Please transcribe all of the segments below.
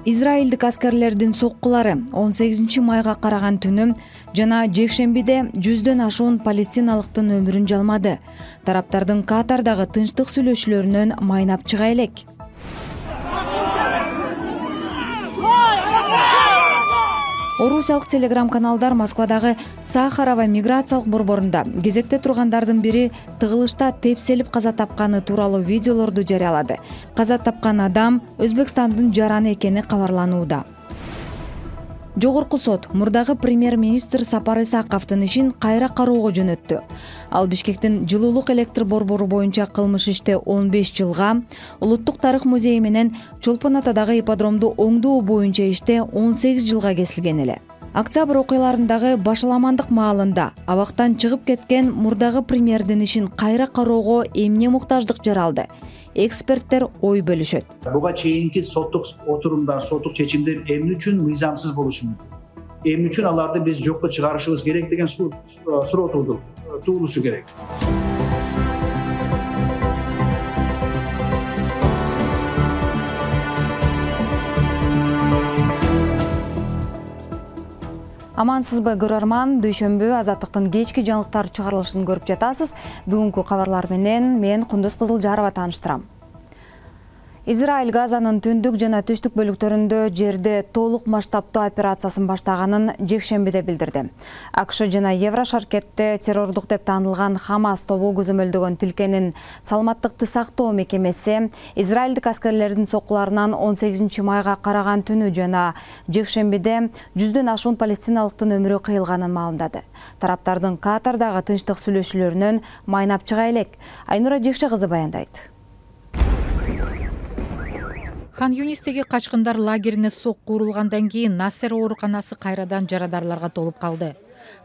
Израилдик аскерлердин соккулары 18 майга караган түнү жана жекшембиде 100дөн ашуун палестиналыктын өмүрүн жалмады. Тараптардын Катардагы тынчтык сүйлөшүүлөрүнөн майнап чыга элек. Орусиялык телеграм-каналдар Москвадагы Сахарова миграциялык борборунда кезекте тургандардын бири тыгылышта тепселип каза тапканы тууралуу видеолорду жарыялады. Каза тапкан адам Өзбекстандын жараны экени кабарланууда. Жогорку сот мурдагы премьер-министр Сапар Исаковдун ишин кайра кароого жөнөттү. Ал Бишкектин жылуулук электр борбору боюнча кылмыш иште 15 жылга, Улуттук тарых музейи менен Чолпон Атадагы ипподромду оңдоо боюнча иште 18 жылга кесилген эле. Октябрь окуяларындагы башаламандык маалында абактан чыгып кеткен мурдагы премьердин ишин кайра кароого эмне муктаждык жаралды? Эксперттер ой бөлүшөт. Буга чейинки соттук отурумдар, соттук чечимдер эмне үчүн мыйзамсыз болушу мүмкүн? Эмне үчүн аларды биз жокко чыгарышыбыз керек деген суроо туулушу керек. Амансызбы көрөрман, дүйшөмбү Азаттыктын кечки жаңылыктар чыгарылышын көрүп жатасыз. Бүгүнкү кабарлар менен мен Кундуз Кызылжарова тааныштырам. Израиль Газанын түндүк жана түштүк бөлүктөрүндө жерде толук масштабтуу операциясын баштаганын жекшембиде билдирди. АКШ жана Еврошаркетте террордук деп таанылган Хамас тобу көзөмөлдөгөн тилкенин саламаттыкты сактоо мекемеси израилдик аскерлердин соккуларынан 18 майга караган түнү жана жекшембиде 100дөн ашуун палестиналыктын өмүрү кыйылганын маалымдады. Тараптардын Катардагы тынчтык сүйлөшүүлөрүнөн майнап чыга элек. Айнура Жекше кызы баяндайт. Хан Юнистеги качкындар лагерине сокку урулгандан кийин Насер ооруканасы кайрадан жарадарларга толуп калды.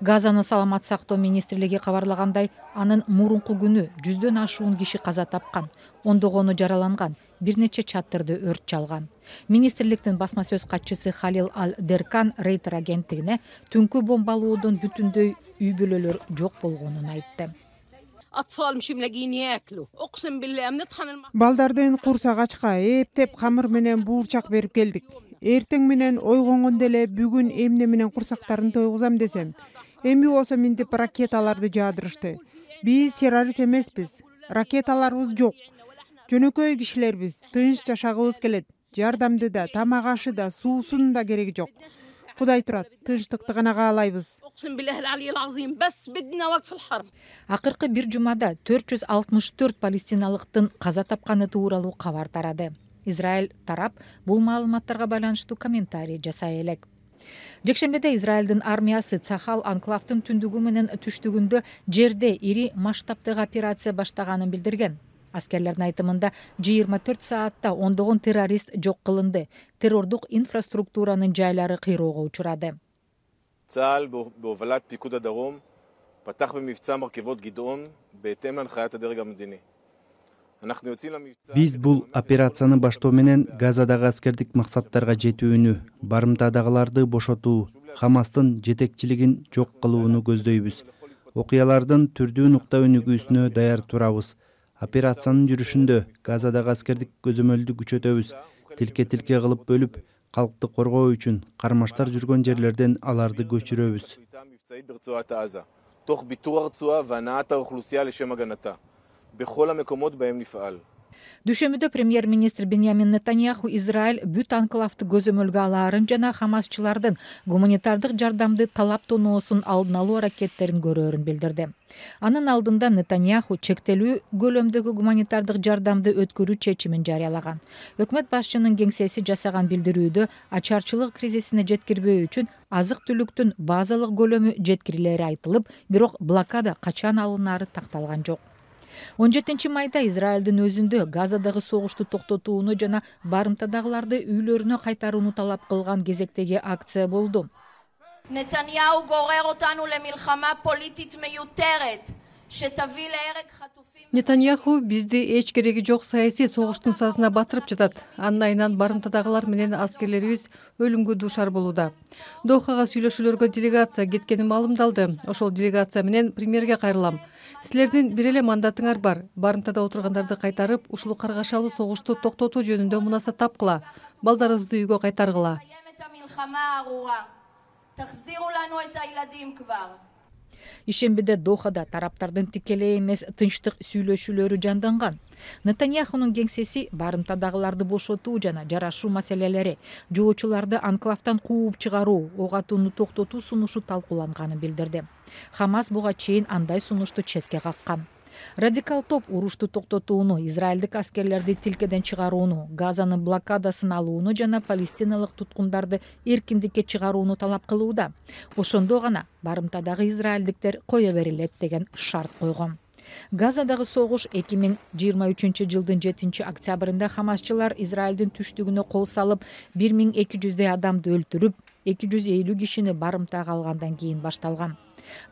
Газанын саламат сактоо министрлиги кабарлагандай, анын мурунку күнү 100дөн ашуун киши каза тапкан, ондогону жараланган, бир нече чатырды өрт чалган. Министрликтин басма сөз катчысы Халил Ал-Деркан Рейтер агенттигине түнкү бомбалоодон бүтүндөй үй бүлөлөр жок болгонун айтты. Балдардын курсак ачка эптеп камыр менен буурчак берип келдик. Эртең менен ойгонгондо эле бүгүн эмне менен курсактарын тойгузам десем, эми болсо минтип ракеталарды жаадырышты. Биз террорист эмеспиз, ракеталарыбыз жок. Жөнөкөй кишилербиз, тынч жашагыбыз келет. Жардамды да, тамак ашы да, суусунун да кереги жок. Кудай турат, тынчтыкты гана каалайбыз. Акыркы бир жумада 464 палестиналыктын каза тапканы тууралуу кабар тарады. Израиль тарап бул маалыматтарга байланыштуу комментарий жасай элек. Жекшембиде Израилдин армиясы Цахал анклавдын түндүгү менен түштүгүндө жерде ири масштабтагы операция баштаганын билдирген. Аскерлердин айтымында 24 саатта ондогон террорист жок кылынды. Террордук инфраструктуранын жайлары кыйроого учурады. צה"ל בהובלת פיקוד הדרום פתח במבצע מרכבות גדעון בהתאם להנחיית הדרג המדיני. Биз бул операцияны баштоо менен Газадагы аскердик максаттарга жетүүнү, барымтадагыларды бошотуу, Хамастын жетекчилигин жок кылууну көздөйбүз. Окуялардын түрдүү нукта өнүгүүсүнө даяр турабыз. Операциянын жүрүшүндө Газадагы аскердик көзөмөлдү күчөтөбүз. Тилке кылып бөлүп, калкты коргоо үчүн кармаштар жүргөн жерлерден аларды көчүрөбүз. תוך ביטור הרצועה והנעת האוכלוסייה לשם הגנתה בכל המקומות בהם נפעל. Дүшөмүдө премьер-министр Беньямин Нетаньяху Израиль бүт анклавды көзөмөлгө алаарын жана хамасчылардын гуманитардык жардамды талаптоноосун алдын алуу аракеттерин көрөөрүн билдирди. Анын алдында Нетаньяху чектелүү көлөмдөгү гуманитардык жардамды өткөрүү чечимин жарыялаган. Өкмөт башчынын кеңсеси жасаган билдирүүдө ачарчылык кризисине жеткирбөө үчүн азык-түлүктүн базалык көлөмү жеткирилери айтылып, бирок блокада качан алынары такталган жок. 17 майда Израилдин өзүндө Газадагы согушту токтотууну жана барымтадагыларды үйлөрүнө кайтарууну талап кылган кезектеги акция болду. נתניהו גורר אותנו למלחמה פוליטית מיותרת Нетаньяху бизди эч кереги жок саясий согуштун сазына батырып жатат. Анын айынан барымтадагылар менен аскерлерибиз өлүмгө дуушар болууда. Дохага сүйлөшүүлөргө делегация кеткени маалымдалды. Ошол делегация менен премьерге кайрылам. Силердин бир эле мандатыңар бар. Барымтада отургандарды кайтарып, ушул каргашалуу согушту токтотуу жөнүндө мунасат тапкыла. Балдарыбызды үйгө кайтаргыла. Ишембиде Дохада тараптардын тикелей эмес тынчтык сүйлөшүүлөрү жанданган. Нетаньяхунун кеңсеси барымтадагыларды бошотуу жана жарашуу маселелери, жоочуларды анклавтан кууп чыгаруу, ок атууну токтотуу сунушу талкууланганын билдирди. Хамас буга чейин андай сунушту четке каккан. Радикал топ урушту токтотууну, израилдик аскерлерди тилкеден чыгарууну, Газанын блокадасын алууну жана палестиналык туткундарды эркиндикке чыгарууну талап кылууда. Ошондо гана барымтадагы израилдиктер кое берилет деген шарт койгон. Газадагы согуш 2023 жылдын 7 октябрында хамасчылар Израилдин түштүгүнө кол салып, 1200 адамды өлтүрүп, 250 кишини барымтага алгандан кийин башталган.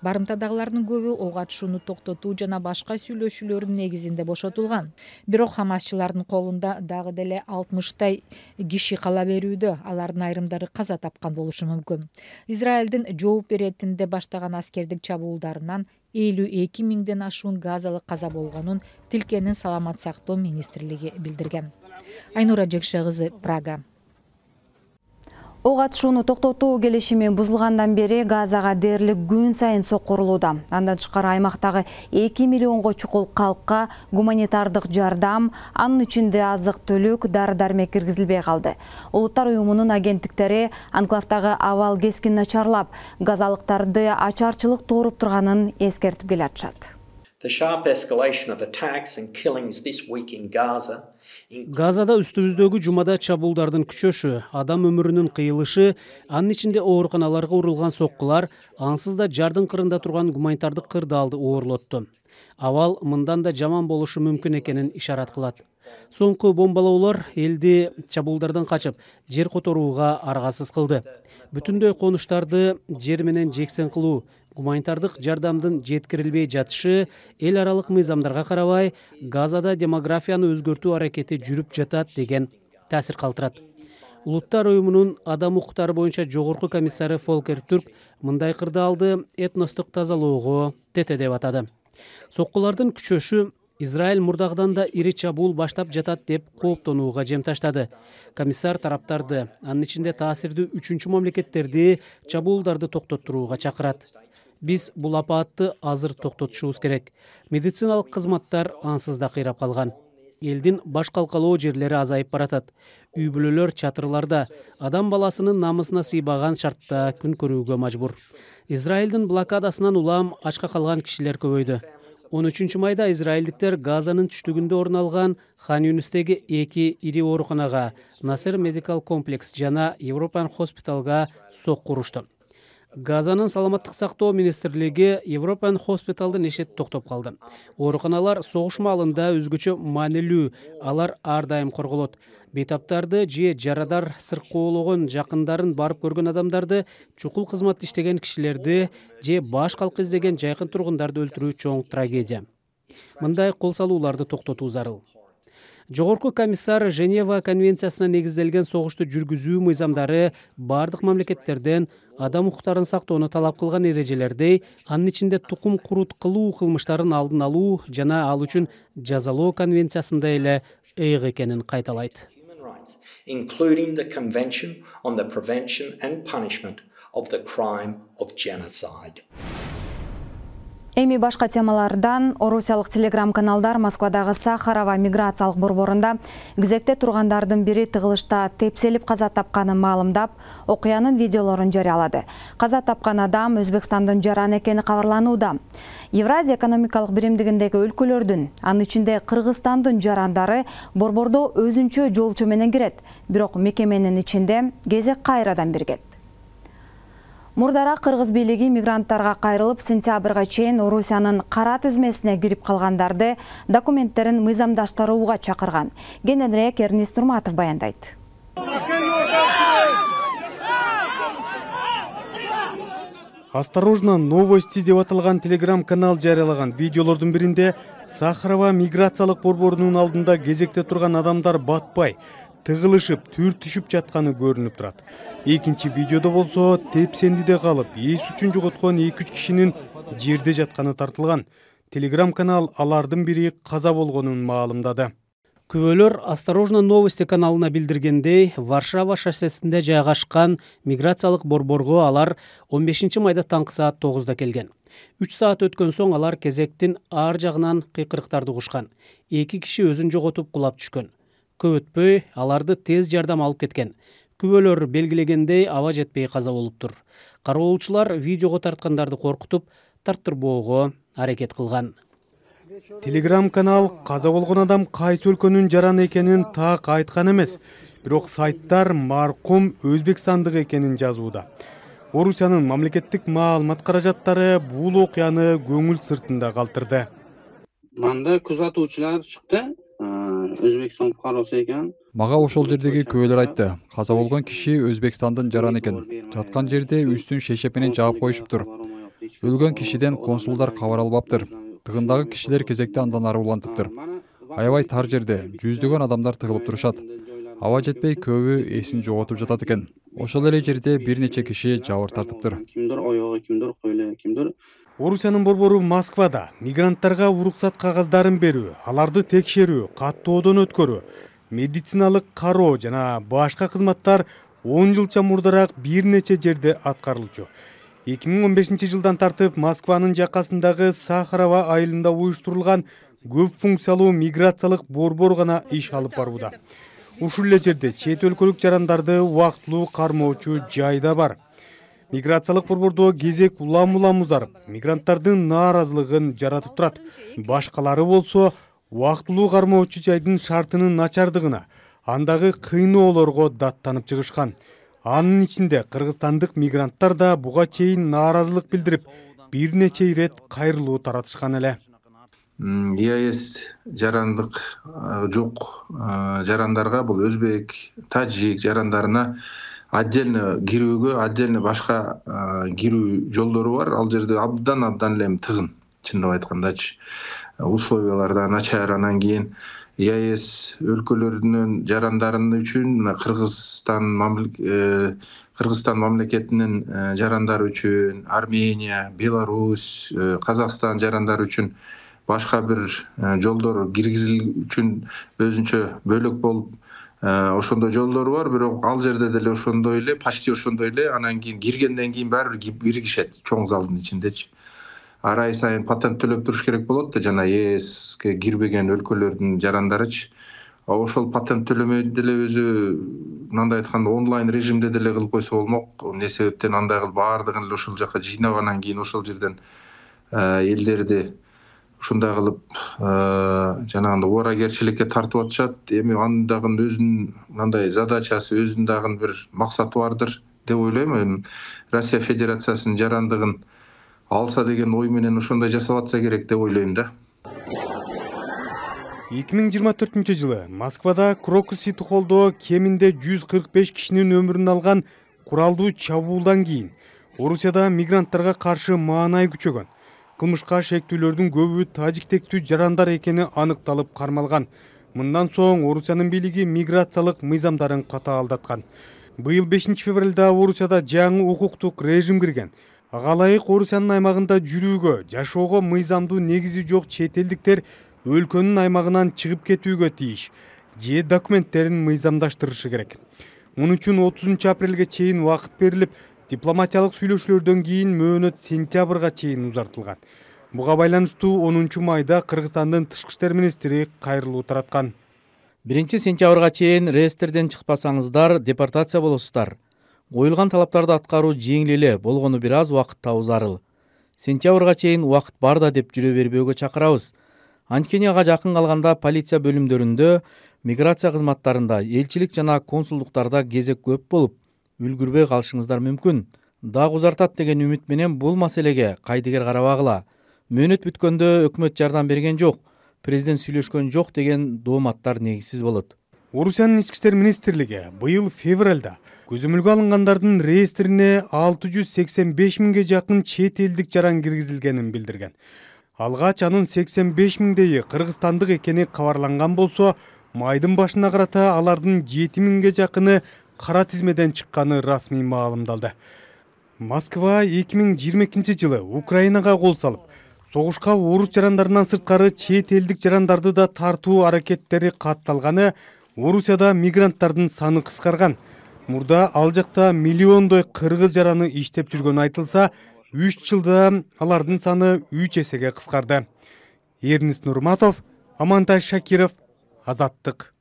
Барымтадагылардын көбү ок атышууну токтотуу жана башка сүйлөшүүлөрдүн негизинде бошотулган. Бирок хамасчылардын колунда дагы деле 60 киши кала берүүдө, алардын айрымдары каза тапкан болушу мүмкүн. Израилдин жооп беретинде баштаган аскердик чабуулдарынан 52 миңден ашуун газалык каза болгонун Тилкенин саламат сактоо министрлиги билдирген. Айнура Жекше кызы, Прага. Ок атышууну токтотуу келишими бузулгандан бери Газага дээрлик күн сайын соккурулууда. Андан тышкары аймактагы 2 миллионго чукул калкка гуманитардык жардам, анын ичинде азык-түлүк, дары-дармек киргизилбей калды. Улуттар уюмунун агенттиктери анклавдагы абал кескин начарлап, газалыктарды ачарчылык тууруп турганын эскертип келатышат. Газада үстүбүздөгү жумада чабуулдардын күчөшү, адам өмүрүнүн кыйылышы, анын ичинде ооруканаларга урулган соккулар, ансыз да жардын кырында турган гуманитардык кырдаалды оорлотту. Абал мындан да жаман болушу мүмкүн экенин ишарат кылат. Соңку бомбалоолор элди чабуулдардан качып, жер которууга аргасыз кылды. Бүтүндөй конуштарды жер менен жексен кылуу, гуманитардык жардамдын жеткирилбей жатышы эл аралык мыйзамдарга карабай Газада демографияны өзгөртүү аракети жүрүп жатат деген таасир калтырат. Улуттар уюмунун адам укуктары боюнча жогорку комиссары Фолкер Түрк мындай кырдаалды этностук тазалоого тете деп атады. Соккулардын күчөшү Израиль мурдагыдан да ири чабуул баштап жатат деп кооптонууга жем таштады. Комиссар тараптарды, анын ичинде таасирдүү үчүнчү мамлекеттерди чабуулдарды токтоттурууга чакырат. Биз бул апаатты азыр токтотушубуз керек. Медициналык кызматтар ансыз да кыйрап калган. Элдин баш калкалоо жерлери азайып баратат. Үй бүлөлөр чатырларда, адам баласынын намысына сыйбаган шартта күн көрүүгө мажбур. Израилдин блокадасынан улам ачка калган кишилер көбөйдү. 13 майда израилдиктер Газанын түштүгүндө орун алган Хан Юнустеги 2 ири ооруканага, Насер медикал комплекс жана Европан хоспиталга сокку урушту. Газанын саламаттык сактоо министрлиги Европан хоспиталдын ишин токтоп калды. Ооруканалар согуш маалында өзгөчө маанилүү, алар ар дайым корголот. Бейтаптарды же жарадар сыркоологон жакындарын барып көргөн адамдарды, чукул кызмат иштеген кишилерди же баш калк издеген жайкын тургундарды өлтүрүү чоң трагедия. Мындай кол салууларды токтотуу зарыл. Жогорку комиссар Женева конвенциясына негизделген согушту жүргүзүү мыйзамдары бардык мамлекеттерден адам укуктарын сактоону талап кылган эрежелердей, анын ичинде тукум курут кылуу кылмыштарын алдын алуу жана ал үчүн жазалоо конвенциясында эле ыйык экенин кайталайт. Including the Convention on the Prevention and Punishment of the Crime of Genocide. Эми башка темалардан орусиялык телеграм-каналдар Москвадагы Сахарова миграциялык борборунда кезекте тургандардын бири тыгылышта тепселип каза тапканын маалымдап, окуянын видеолорун жарыялады. Каза тапкан адам Өзбекстандын жараны экени кабарланууда. Евразия экономикалык биримдигиндеги өлкөлөрдүн, анын ичинде Кыргызстандын жарандары борбордо өзүнчө жолчу менен кирет, бирок мекеменин ичинде кезек кайрадан биргет. Мурдара Кыргыз бийлиги мигранттарга кайрылып, сентябрга чейин Орусиянын кара тизмесине кирип калгандарды документтерин мыйзамдаштырууга чакырган. Кененирээк Эрнист Нурматов баяндайт. Осторожно, новости деп аталган телеграм-канал жарыялаган видеолордун биринде Сахарова миграциялык борборунун алдында кезекте турган адамдар батпай, тыгылышып, түртүшүп жатканы көрүнүп турат. Экинчи видеодо болсо тепсендиде калып, эс үчүн жоготкон 2-3 кишинин жерде жатканы тартылган. Телеграм-канал алардын бири каза болгонун маалымдады. Күбөлөр «Осторожно, новости» каналына билдиргендей, Варшава шоссесинде жайгашкан миграциялык борборго алар 15 майда таңкы саат 9-да келген. 3 саат өткөн соң алар кезектин ар жагынан кыйкырыктарды угушкан. 2 киши өзүн жоготуп кулап түшкөн. Көп өтпөй аларды тез жардам алып кеткен. Күбөлөр белгилегендей аба жетпей каза болуптур. Кароолчулар видеого тарткандарды коркутуп, тарттырбоого аракет кылган. Телеграм-канал каза болгон адам кайсы өлкөнүн жараны экенин так айткан эмес, бирок сайттар маркум Өзбекстандык экенин жазууда. Орусиянын мамлекеттик маалымат каражаттары бул окуяны көңүл сыртында калтырды. Мында күзөтүүчүлөр чыкты, Өзбекстан фукароосу экен. Мага ошол жердеги күбөлөр айтты. Каза болгон киши Өзбекстандын жараны экен. Жаткан жерде үстүн шешеп менен жаап коюшуптур. Өлгөн кишиден консулдар кабар албаптыр. Тыгындагы кишилер кезекте андан ары улантыптыр. Аябай тар жерде жүздөгөн адамдар тыгылып турушат. Аба жетпей көбү эсин жоготуп жатат экен. Ошол эле жерде бир нече киши жабыр тартыптыр. Кимдир оёгу, кимдир койло, кимдир. Орусиянын борбору Москвада мигранттарга уруксат кагаздарын берүү, аларды текшерүү, каттоодон өткөрүү, медициналык кароо жана башка кызматтар 10 жылча мурдараак бир нече жерде аткарылчу. 2015 жылдан тартып Москванын жакасындагы Сахарова айылында уюштурулган көп функциялуу миграциялык борбор гана иш алып барууда. Ушул эле жерде чет өлкөлүк жарандарды убактылуу кармоочу жай да бар. Миграциялык борбордо кезек улам узарып, мигранттардын нааразылыгын жаратып турат. Башкалары болсо убактылуу кармоочу жайдын шартынын начардыгына, андагы кыйноолорго даттанып чыгышкан. Анын ичинде кыргызстандык мигранттар да буга чейин нааразылык билдирип, бир нече ирет кайрылуу таратышкан эле. ЕАЭС жарандык жок жарандарга, бул өзбек, тажик жарандарына отдельно кирүүгө, отдельно башка кирүү жолдору бар. Ал жерде абдан эле тыгын, чындап айткандачы. Условиялар да начар. Анан кийин ЕАЭС өлкөлөрүнүн жарандарын үчүн Кыргызстан мамлекетинин жарандары үчүн, Армения, Беларусь, Казакстан жарандары үчүн башка бир жолдор киргизил үчүн өзүнчө бөлөк болуп, ошондой жолдору бар. Бирок ал жерде деле ошондой эле, почти ошондой эле. Анан кийин киргенден кийин баары бир биригишет чоң залдын ичиндечи. Ар ай сайын патент төлөп туруш керек болот да, жана ЕСке кирбеген өлкөлөрдүн жарандарычы. Ошол патент төлөмөйдү деле өзү мындай айтканда онлайн режимде деле кылып койсо болмок. Эмне себептен андай кылып баардыгын эле ошол жака жыйнагандан кийин ошол жерден элдерди ушундай кылып жанагындай ооракерчиликке тартып атышат. Эми андагы өзүнүн мындай задачасы, өзүнүн дагы бир максаты бардыр деп ойлойм. Эми Россия Федерациясынын жарандыгын алса деген ой менен ошондой жасап атса керек деп ойлойм да. 2024 жылы Москвада Крокус Сити холлдо кеминде 145 кишинин өмүрүн алган куралдуу чабуулдан кийин Орусияда мигранттарга каршы маанай күчөгөн. Кылмышка шектүүлөрдүн көбү тажиктектүү жарандар экени аныкталып кармалган. Мындан соң Орусиянын бийлиги миграциялык мыйзамдарын катаалдаткан. Быйыл 5 февралда Орусияда жаңы укуктук режим кирген. Ага ылайык Орусиянын аймагында жүрүүгө, жашоого мыйзамдуу негизи жок чет элдиктер өлкөнүн аймагынан чыгып кетүүгө тийиш же документтерин мыйзамдаштырышы керек. Муну үчүн 30 апрелге чейин убакыт берилип, дипломатиялык сүйлөшүүлөрдөн кийин мөөнөт сентябрга чейин узартылган. Буга байланыштуу 10 майда Кыргызстандын тышкы иштер министри кайрылуу тараткан. 1 сентябрга чейин реестрден чыкпасаңыздар депортация болосуздар. Коюлган талаптарды аткаруу жеңил эле болгону бир аз убакыт табуу зарыл. Сентябрга чейин убакыт бар да деп жүрө бербөөгө чакырабыз. Анткени ага жакын калганда полиция бөлүмдөрүндө, миграция кызматтарында, элчилик жана консулдуктарда кезек көп болуп, үлгүрбөй калышыңыздар мүмкүн. Дагы узартат деген үмүт менен бул маселеге кайдыгер карабагыла. Мөөнөт бүткөндө өкмөт жардам берген жок, президент сүйлөшкөн жок деген дооматтар негизсиз болот. Орусиянын ички иштер министрлиги быйыл февралда көзөмөлгө алынгандардын реестрине 685 миңге жакын чет элдик жаран киргизилгенин билдирген. Алгач анын 85 миңдейи кыргызстандык экени кабарланган болсо, майдын башына карата алардын 7 миңге жакыны кара тизмеден чыкканы расмий маалымдалды. Москва 2022 жылы Украинага кол салып, согушка орус жарандарынан сырткары чет элдик жарандарды да тартуу аракеттери катталганы, Орусияда мигранттардын саны кыскарган. Мурда ал жакта миллиондой кыргыз жараны иштеп жүргөнү айтылса, 3 жылда алардын саны 3 эсеге кыскарды. Эрнис Нурматов, Амантай Шакиров, Азаттык.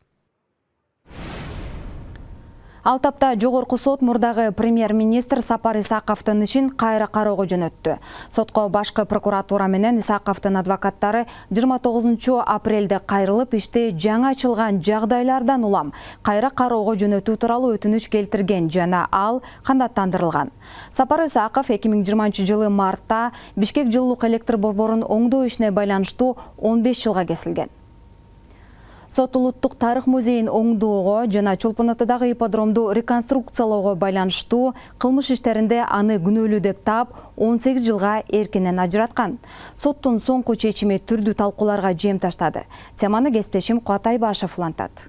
Ал тапта жогорку сот мурдагы премьер-министр Сапар Исаковдун ишин кайра кароого жөнөттү. Сотко башкы прокуратура менен Исаковдун адвокаттары 29 апрелде кайрылып, ишти жаңы ачылган жагдайлардан улам кайра кароого жөнөтүү тууралуу өтүнүч келтирген жана ал канааттандырылган. Сапар Исаков 2020 жылы мартта Бишкек жылуулук электр борборун оңдоо ишине байланыштуу 15 жылга кесилген. Сот улуттук тарых музейин оңдоого жана Чолпон Атадагы ипподромду реконструкциялоого байланыштуу кылмыш иштеринде аны күнөөлүү деп таап 18 жылга эркинен ажыраткан. Соттун соңку чечими түрдүү талкууларга жем таштады. Теманы кесиптешим Кубат Айбашев улантат.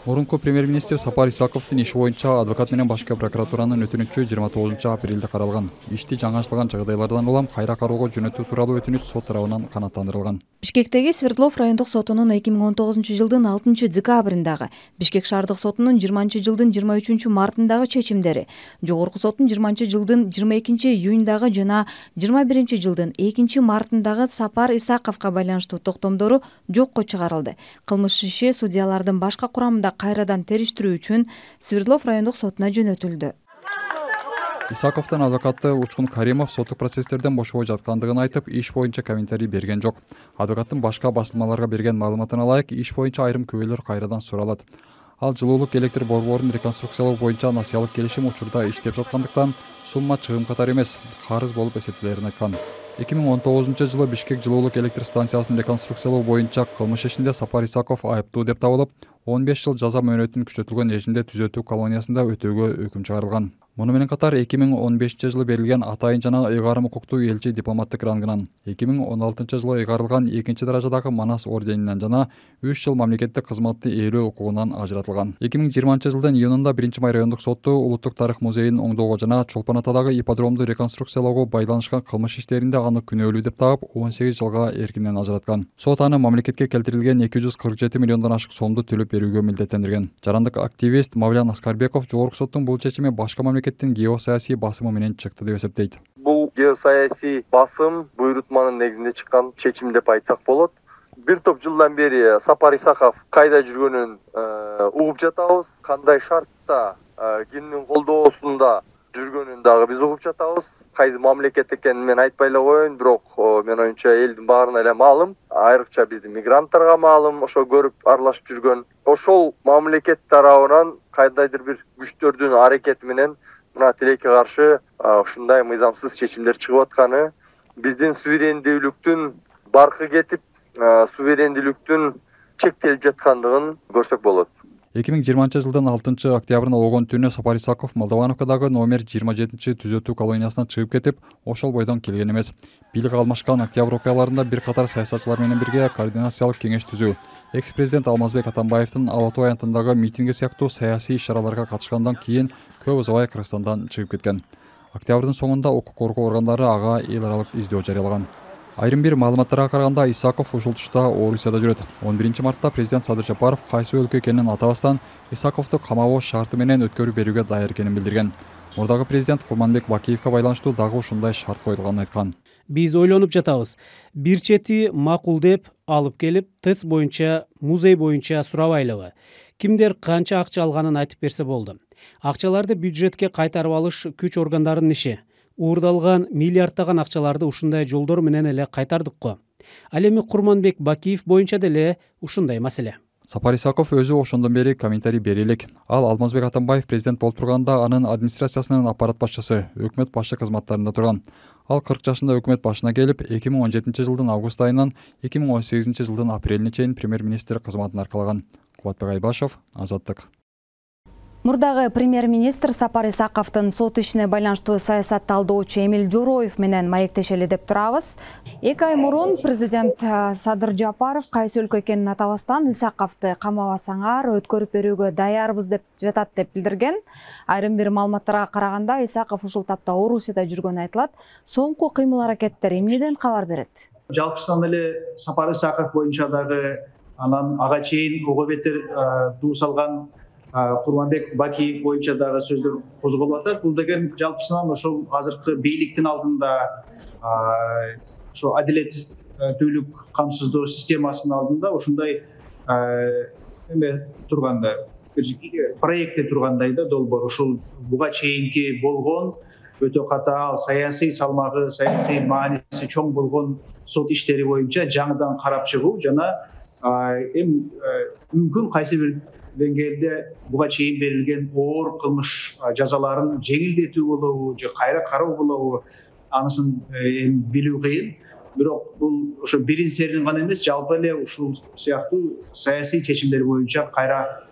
Мурунку премьер-министр Сапар Исаковдун иши боюнча адвокат менен башкы прокуратуранын өтүнүчү 29 апрелде каралган. Ишти жаңачылган жагдайлардан улам кайра кароого жөнөтүү тууралуу өтүнүч сот тарабынан канааттандырылган. Бишкектеги Свердлов райондук сотунун 2019 жылдын 6 декабрындагы, Бишкек шаардык сотунун 20 жылдын 23 мартындагы чечимдери, жогорку соттун 20 жылдын 22 июндагы жана 21 жылдын 2 мартындагы Сапар Исаковго байланыштуу токтомдору жокко чыгарылды. Кылмыш иши судьялардын башка курамында кайрадан териштирүү үчүн Свердлов райондук сотуна жөнөтүлдү. Исаковдун адвокаты Учкун Каримов соттук процесстерден бошобой жаткандыгын айтып, иш боюнча комментарий берген жок. Адвокаттын башка басылмаларга берген маалыматына ылайык, иш боюнча айрым күбөлөр кайрадан суралат. Ал жылуулук электр борборун реконструкциялоо боюнча насыялык келишим учурда иштеп жаткандыктан сумма чыгым катары эмес, карыз болуп эсептелерин айткан. 2019 жылы Бишкек жылуулук электр станциясын реконструкциялоо боюнча кылмыш ишинде Сапар Исаков айыптуу деп табылып, 15 жыл жаза мөөнөтүн күчөтүлгөн режимде түзөтүү колониясында өтөөгө өкүм чыгарылган. Муну менен катар 2015 жылы берилген атайын жана ыйгарым укуктуу элчи дипломаттык рангынан, 2016 жылы ыйгарылган 2-даражадагы Манас орденинен жана 3 жыл мамлекеттик кызматты ээлөө укугунан ажыратылган. 2020 жылдын июнунда 1-май райондук сотту улуттук тарых музейин оңдоого жана Чолпон Атадагы ипподромду реконструкциялоого байланышкан кылмыш иштеринде аны күнөөлүү деп таап 18 жылга эркинен ажыраткан. Сот аны мамлекетке келтирилген 247 миллиондон ашык сомду төлөп берүүгө милдеттендирген. Жарандык активист Мавлян Аскарбеков жогорку соттун бул чечими башка мамлекеттин геосаясий басымы менен чыкты деп эсептейт. Бул геосаясий басым буйрутманын негизинде чыккан чечим деп айтсак болот. Бир топ жылдан бери Сапар Исаков кайда жүргөнүн угуп жатабыз, кандай шартта, кимдин колдоосунда жүргөнүн дагы биз угуп жатабыз. Кайсы мамлекет экенин мен айтпай эле коеюн, бирок мен оюмча элдин баарына эле маалым, айрыкча биздин мигранттарга маалым, ошо көрүп аралашып жүргөн. Ошол мамлекет тарабынан кайдайдыр бир күчтөрдүн аракети менен мына тилекке каршы ушундай мыйзамсыз чечимдер чыгып атканы, биздин суверендүүлүктүн баркы кетип, суверендүүлүктүн чектелип жаткандыгын көрсөк болот. 2020 жылдын 6 октябрында болгон түнү Сапар Исаков Молдовановкадагы номер 27 түзөтүү колониясына чыгып кетип, ошол бойдон келген эмес. Бийлик алмашкан октябрь окуяларында бир катар саясатчылар менен бирге координациялык кеңеш түзүү, экс-президент Алмазбек Атамбаевдин Ала Тоо аянтындагы митинги сыяктуу саясий иш-чараларга катышкандан кийин көп узабай Кыргызстандан чыгып кеткен. Октябрдын соңунда укук коргоо органдары ага эл аралык издөө жарыялаган. Айрым бир маалыматтарга караганда Исаков ушул тушта Орусияда жүрөт. 11 мартта президент Садыр Жапаров кайсы өлкө экенин атабастан Исаковду камабоо шарты менен өткөрүп берүүгө даяр экенин билдирген. Мурдагы президент Курманбек Бакиевге байланыштуу дагы ушундай шарт коюлганын айткан. Биз ойлонуп жатабыз. Бир чети макул деп алып келип, ТЭЦ боюнча, музей боюнча сурабайлыбы? Кимдер канча акча алганын айтып берсе болду. Акчаларды бюджетке кайтарып алыш күч органдарынын иши. Уурдалган миллиарддаган акчаларды ушундай жолдор менен эле кайтардык го. Ал эми Курманбек Бакиев боюнча деле ушундай маселе. Сапар Исаков өзү ошондон бери комментарий бере элек. Ал Алмазбек Атамбаев президент болуп турганда анын администрациясынын аппарат башчысы, өкмөт башы кызматтарында турган. Ал 40 жашында өкмөт башына келип, 2017 жылдын август айынан 2018 жылдын апрелине чейин премьер-министр кызматын аркалаган. Кубатбек Айбашев, Азаттык. Мурдагы премьер-министр Сапар Исаковдун сот ишине байланыштуу саясат талдоочу Эмил Жороев менен маектешели деп турабыз. 2 ай мурун президент Садыр Жапаров кайсы өлкө экенин атабастан Исаковду камабасаңар өткөрүп берүүгө даярбыз деп жатат деп билдирген. Айрым бир маалыматтарга караганда Исаков ушул тапта Орусияда жүргөнү айтылат. Соңку кыймыл-аракеттер эмнеден кабар берет? Жалпысынан эле Сапар Исаков боюнча дагы анан ага чейин ого бетер дуу салган Курманбек Бакиев боюнча дагы сөздөр козголуп атат. Бул деген жалпысынан ошол азыркы бийликтин алдында ошо адилеттүүлүк камсыздоо системасынын алдында ушундай эме турганда проектте тургандай да долбоор ушул буга чейинки болгон өтө катаал саясий салмагы, саясий мааниси чоң болгон сот иштери боюнча жаңыдан карап чыгуу жана эми мүмкүн кайсы бир деңгээлде буга чейин берилген оор кылмыш жазаларын жеңилдетүү болобу же кайра кароо болобу анысын билүү кыйын. Бирок бул ошо бирин серин гана эмес, жалпы эле ушул сыяктуу саясий чечимдер боюнча кайра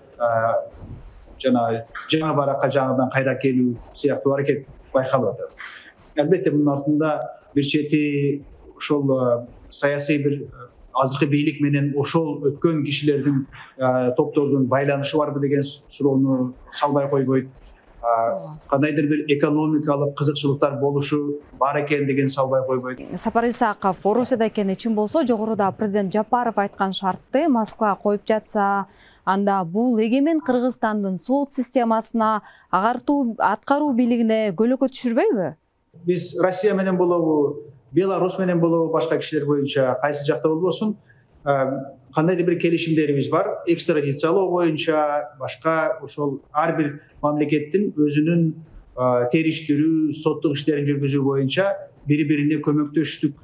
жана жаңы баракка жаңыдан кайра келүү сыяктуу аракет байкалып атат. Албетте мунун артында бир чети ошол саясий бир азыркы бийлик менен ошол өткөн кишилердин топтордун байланышы барбы деген суроону салбай койбойт. Кандайдыр бир экономикалык кызыкчылыктар болушу бар экен деген салбай койбойт. Сапар Исаков Орусияда экени чын болсо, жогоруда президент Жапаров айткан шартты Москва коюп жатса, анда бул эгемен Кыргызстандын сот системасына, аткаруу бийлигине көлөкө түшүрбөйбү? Биз Россия менен болобу, Беларусь менен болобу, башка кишилер боюнча кайсы жакта болбосун, кандайдыр бир келишимдерибиз бар. Экстрадициялоо боюнча башка ошол ар бир мамлекеттин өзүнүн териштирүү, соттук иштерин жүргүзүү боюнча бири-бирине көмөктөштүк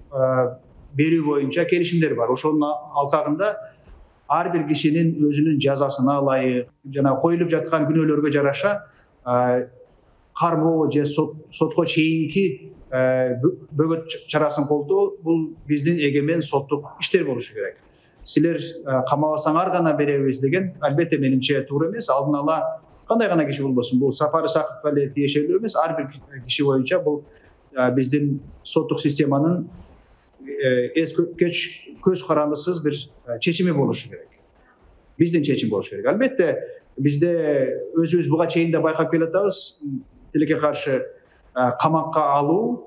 берүү боюнча келишимдер бар. Ошонун алкагында ар бир кишинин өзүнүн жазасына ылайык жана коюлуп жаткан күнөөлөргө жараша кармоо же сотко чейинки бөгөт чарасын колдоо бул биздин эгемен соттук иштер болушу керек. Силер камабасаңар гана беребиз деген албетте менимче туура эмес. Алдын ала кандай гана киши болбосун, бул Сапар Исаковго эле тиешелүү эмес, ар бир киши боюнча бул биздин соттук системанын көз карандысыз бир чечими болушу керек. Биздин чечим болушу керек. Албетте бизде өзүбүз буга чейин да байкап келатабыз, тилекке каршы камакка алуу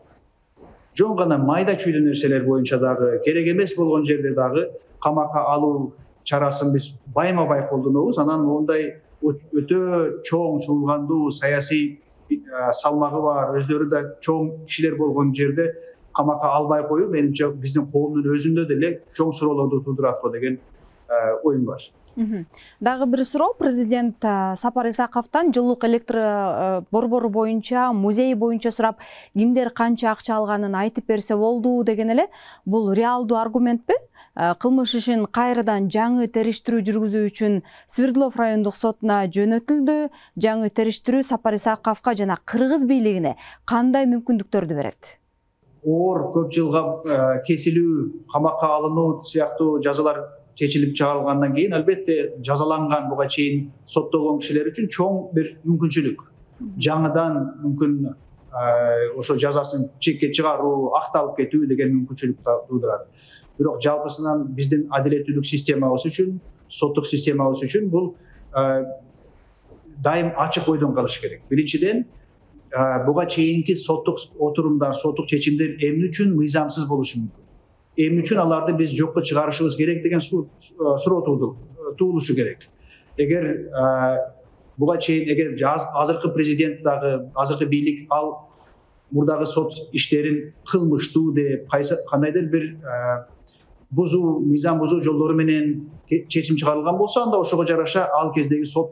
жон гана майда чүйдө нерселер боюнча дагы керек эмес болгон жерде дагы камакка алуу чарасын биз байма-бай колдонобуз. Анан мондай өтө чоң чуулгандуу саясий салмагы бар, өздөрү да чоң кишилер болгон жерде камакка албай коюу менимче биздин коомдун өзүндө деле чоң суроолорду туудурат го деген оюм бар. Дагы бир суроо, президент Сапар Исаковдон жылуулук электр борбору боюнча, музей боюнча сурап, кимдер канча акча алганын айтып берсе болду деген эле. Бул реалдуу аргументпи? Кылмыш ишин кайрадан жаңы териштирүү жүргүзүү үчүн Свердлов райондук сотуна жөнөтүлдү. Жаңы териштирүү Сапар Исаковго жана Кыргыз бийлигине кандай мүмкүндүктөрдү берет? Оор көп жылга кесилүү, камакка алынуу сыяктуу жазалар чечилип чыгарылгандан кийин албетте жазаланган буга чейин соттолгон кишилер үчүн чоң бир мүмкүнчүлүк. Жаңыдан мүмкүн ошо жазасын чекке чыгаруу, акталып кетүү деген мүмкүнчүлүк туудурат. Бирок жалпысынан биздин адилеттүүлүк системабыз үчүн, соттук системабыз үчүн бул дайым ачык ойдон калыш керек. Биринчиден, буга чейинки соттук отурумдар, соттук чечимдер эмне үчүн мыйзамсыз болушу мүмкүн? Эмне үчүн аларды биз жокко чыгарышыбыз керек деген суроо туулушу керек. Эгер буга чейин азыркы президент дагы, азыркы бийлик ал мурдагы сот иштерин кылмыштуу деп кандайдыр бир бузуу, мыйзам бузуу жолдору менен чечим чыгарылган болсо, анда ошого жараша ал кездеги сот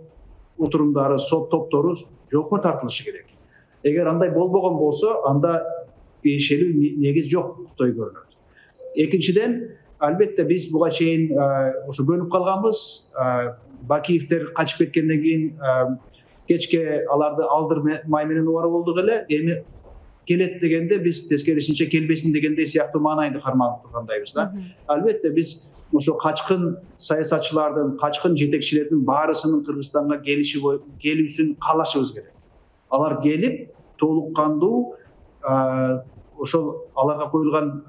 отурумдары, сот топтору жокко тартылышы керек. Эгер андай болбогон болсо, анда тиешелүү негиз жоктой көрүнөт. Экинчиден, албетте биз буга чейин ошо көнүп калганбыз. Бакиевдер качып кеткенден кийин кечке аларды алдырмай менен убара болдук эле. Эми келет дегенде биз тескерисинче келбесин дегендей сыяктуу маанайды карманып тургандайбыз да. Албетте биз ошо качкын саясатчылардын, качкын жетекчилердин баарысынын Кыргызстанга келүүсүн каалашыбыз керек. Алар келип толук кандуу ошол аларга коюлган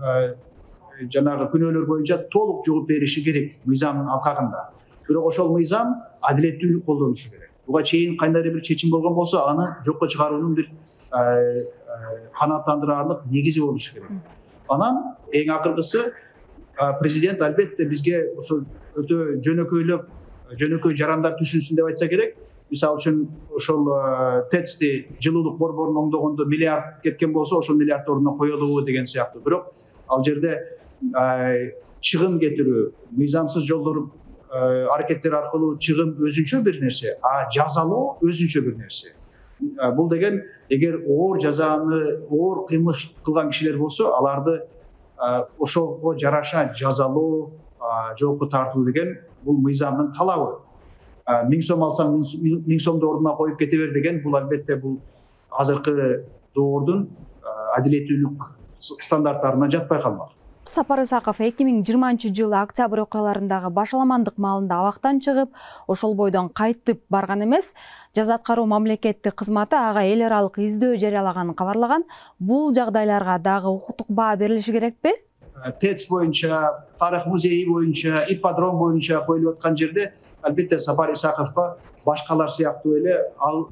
жанагы күнөөлөр боюнча толук жооп бериши керек мыйзамдын алкагында. Бирок ошол мыйзам адилеттүүлүк колдонушу керек. Буга чейин кандайдыр бир чечим болгон болсо, аны жокко чыгаруунун бир канааттандыраарлык негизи болушу керек. Анан эң акыркысы президент албетте бизге ошол өтө жөнөкөй жарандар түшүнсүн деп айтса керек. Мисалы үчүн ошол ТЭЦти жылуулук борборун оңдогондо миллиард кеткен болсо, ошол миллиард ордуна коелубу деген сыяктуу. Бирок ал жерде чыгым кетирүү, мыйзамсыз жолдор аракеттер аркылуу чыгым өзүнчө бир нерсе, жазалоо өзүнчө бир нерсе. Бул деген эгер оор жазаны, оор кылмыш кылган кишилер болсо, аларды ошого жараша жазалоо, жоопко тартуу деген бул мыйзамдын талабы. 1000 сом алсаң 1000 сомду ордуна коюп кете бер деген бул албетте бул азыркы доордун адилеттүүлүк стандарттарына жатпай калмак. Сапар Исаков 2020-жылы октябрь окуяларындагы башаламандык маалында абактан чыгып, ошол бойдон кайтып барган эмес, жаза аткаруу мамлекеттик кызматы ага эл аралык издөө жарыялаганын кабарлаган. Бул жагдайларга дагы укуктук баа берилиши керекпи? ТЭЦ боюнча, тарых музейи боюнча, ипподром боюнча коюлуп аткан жерде албетте Сапар Исаковго башкалар сыяктуу эле ал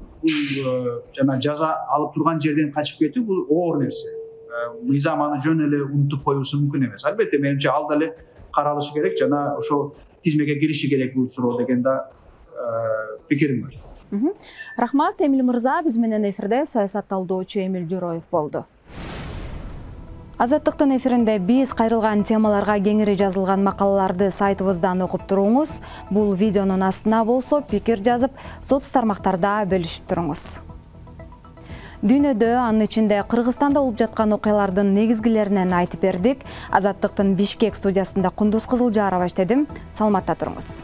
жана жаза алып турган жерден качып кетүү бул оор нерсе. Мыйзам аны жөн эле унутуп коюусу мүмкүн эмес. Албетте менимче ал деле каралышы керек жана ошол тизмеге кириши керек бул суроо деген да пикирим бар. Рахмат, Эмил мырза. Биз менен эфирде саясатталдоочу Эмил Жороев болду. Азаттыктын эфиринде биз кайрылган темаларга кеңири жазылган макалаларды сайтыбыздан окуп туруңуз. Бул видеонун астына болсо пикир жазып, соц тармактарда бөлүшүп туруңуз. Дүйнөдө, анын ичинде Кыргызстанда болуп жаткан окуялардын негизгилеринен айтып бердик. Азаттыктын Бишкек студиясында Кундуз Кызылжарова иштедим. Саламатта туруңуз.